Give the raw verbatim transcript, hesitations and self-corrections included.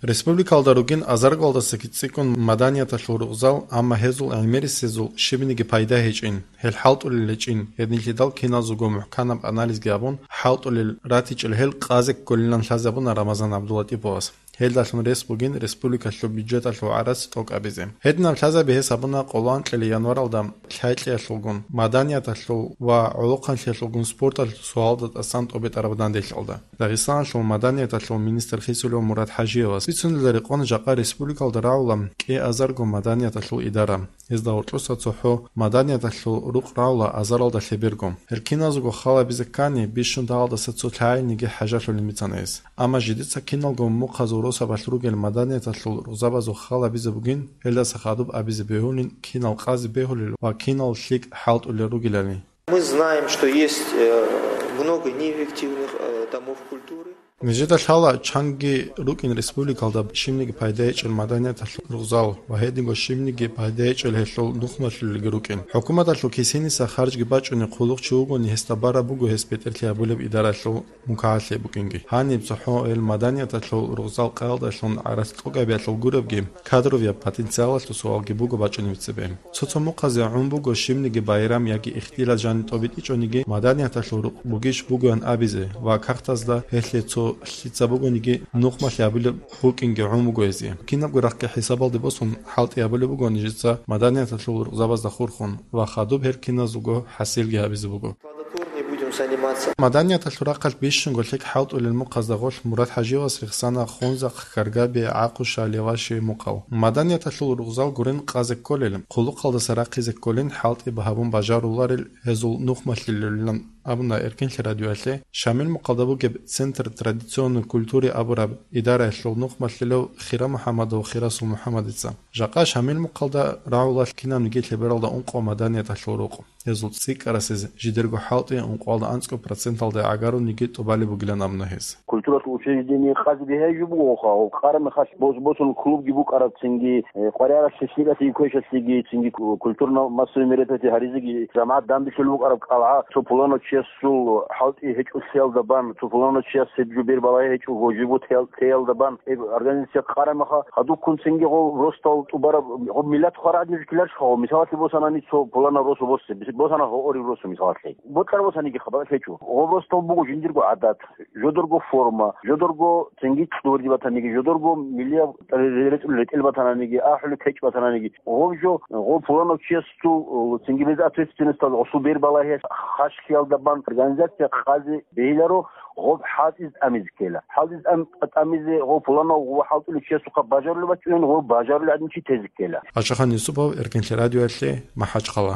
Республикалда ругин азаргалдаса кицӀикӀкӀун маданияталъул рукъзал, амма гьезул гӀемерисезул щибниги пайда гьечӀин, гьел хӀалтӀулел гьечӀин, гьединлъидал киназулго мухӀканаб анализги гьабун, хӀалтӀулел ратичӀел гьел къазе кколилан лъазабуна Рамазан ГӀабдуллатӀиповас. Гьелдалъун рес бугин республикалъул бюджеталъул гӀарац тӀокӀабизе. Гьединаб лъазаби гьес гьабуна къоло анкьила январалда лъай-кьиялъулгун, маданияталъул ва гӀолохъанлъиялъулгун спорталъул суалда тӀасан тӀобитӀараб данделъалда. Дагъистаналъул маданияталъул министр хисулев Мурад ХӀажиевас бицунелда рекъон жакъа республикалда рагӀула кӀиазарго маданияталъул идара. Гьезда гьоркьоса цохӀо маданияталъул рукъ рагӀула азаралда лъеберго. Гьел киназго хал гьабизе ккани, бищун дагьалдаса цо лъагӀалниги хӀажалъулин бицана гьес. Амма жидеца киналго мухъазул росабалъ ругел маданияталъул рузабазул хал гьабизе бугин, гьелдаса хадуб абизе бегьулин, кинал къазе бегьулел ва кинал лъикӀ хӀалтӀулел ругелали. Мы знаем, что есть э, много неэффективных э, домов культуры. Нижеда лъала чанги рукӀин республикалда щибниги пайда гьечӀел маданияталъул рузал ва гьединго щибниги пайда гьечӀел гьелъул нухмалъулелги рукӀин. ХӀукуматалъул кисиниса харжги бачӀунеб хъулухъчи вугони, гьесда бараб буго гьес бетӀерлъи гьабулеб идаралъул мукагӀалъи букӀинги. Гьаниб цохӀо гьел маданияталъул рузал къаялдалъун гӀарац тӀокӀабиялъул гуребги, кадровияб потенциалалъул суалги буго бачӀунеб цебе. Цо-цо мухъазе гӀун буго щибниги байрам яги ихтилат жаниб тӀобитӀичӀониги маданияталъул рукъ бугищ бугоян абизе ва кагътазда гьелъе цо лъица бугониги нухмалъи гьабулеб букӀинги гӀун буго гьезие. Кинабго рахъги хӀисабалде босун, хӀалтӀи гьабулеб буго нижеца маданияталъул рукъзабазда хурхун ва хадуб гьел киназулго хӀасилги гьабизе буго. Плодотворнее будем заниматься. Маданияталъул рахъалъ бищунго лъикӀ хӀалтӀулел мухъазда гъолъ Мурад ХӀажиевас рехсана Хунзахъ, Каргаби, ГӀакъуша, Леваши мухъал. Маданияталъул рузал гурин къазе кколел, хъулухъалдаса рахъизе кколин хӀалтӀи гьабун бажаруларел гьезул нухмалъулелилан абуна Эркинлъи радиоялъе Шамил мухъалда бугеб Центр традиционной культуры абураб идараялъул нухмалъулев Хира МухӀаммадов Хирасул МухӀаммадица. Жакъа Шамил мухъалда рагӀула кинабниги лъебералда ункъо маданияталъул рукъ. Гьезул цӀикӀкӀарасез жидерго хӀалтӀи ункъоялда анцӀго проценталда гӀагарулниги тӀубалеб бугилан абуна гьес. Культуралъул учреждение къазе бегьай жо бугоха, гьаб къара мехалъ бос-, босун клубги букӀараб, цинги, э, къваригӀаралъе лъикӀалъиги квешалъиги, цинги ку-, культурно-массовый мероприятие гьаризеги жамагӀат данделъулеб букӀараб кӀалгӀа, цо пуланав чиясул хӀалтӀи гьечӀолъиялда бан, цо пуланав чияс гьеб жо бер балагьи гьечӀого, живот теял-, теялда бан, гьеб организация къара меха, гьадуккун цинги гъо росдал тӀубараб, гъо миллат хварагӀадин жукиларищха гъо, мисалалъе босанани цо пуланав росу босе, бис-, босана гъо орив росу мисалалъе. Бокьар босаниги хабар лъечӀо. Гъо росдал буго жиндирго гӀадат, жодорго форма, жодорго цинги чӀурги батаниги, жодорго миллияб ретӀел батананиги, ахӀулеб кечӀ батананиги. Гъо жо, гъо пуланав чиясул, цинги без ответственностал гъосул бер балагье хашхиялда бан организация къазе бегьиларо, гъоб хӀалтӀиз тӀамизе ккела. ХӀалтӀиз тӀам-, тӀамизе гъо пуланав гъо хӀалтӀулев чиясухъа бажарулеб бачӀунин, гъо бажарулеб гӀадин чи тезе ккела. Ашахан Юсупов, Эркинлъи радиоялъе, МахӀачхъала.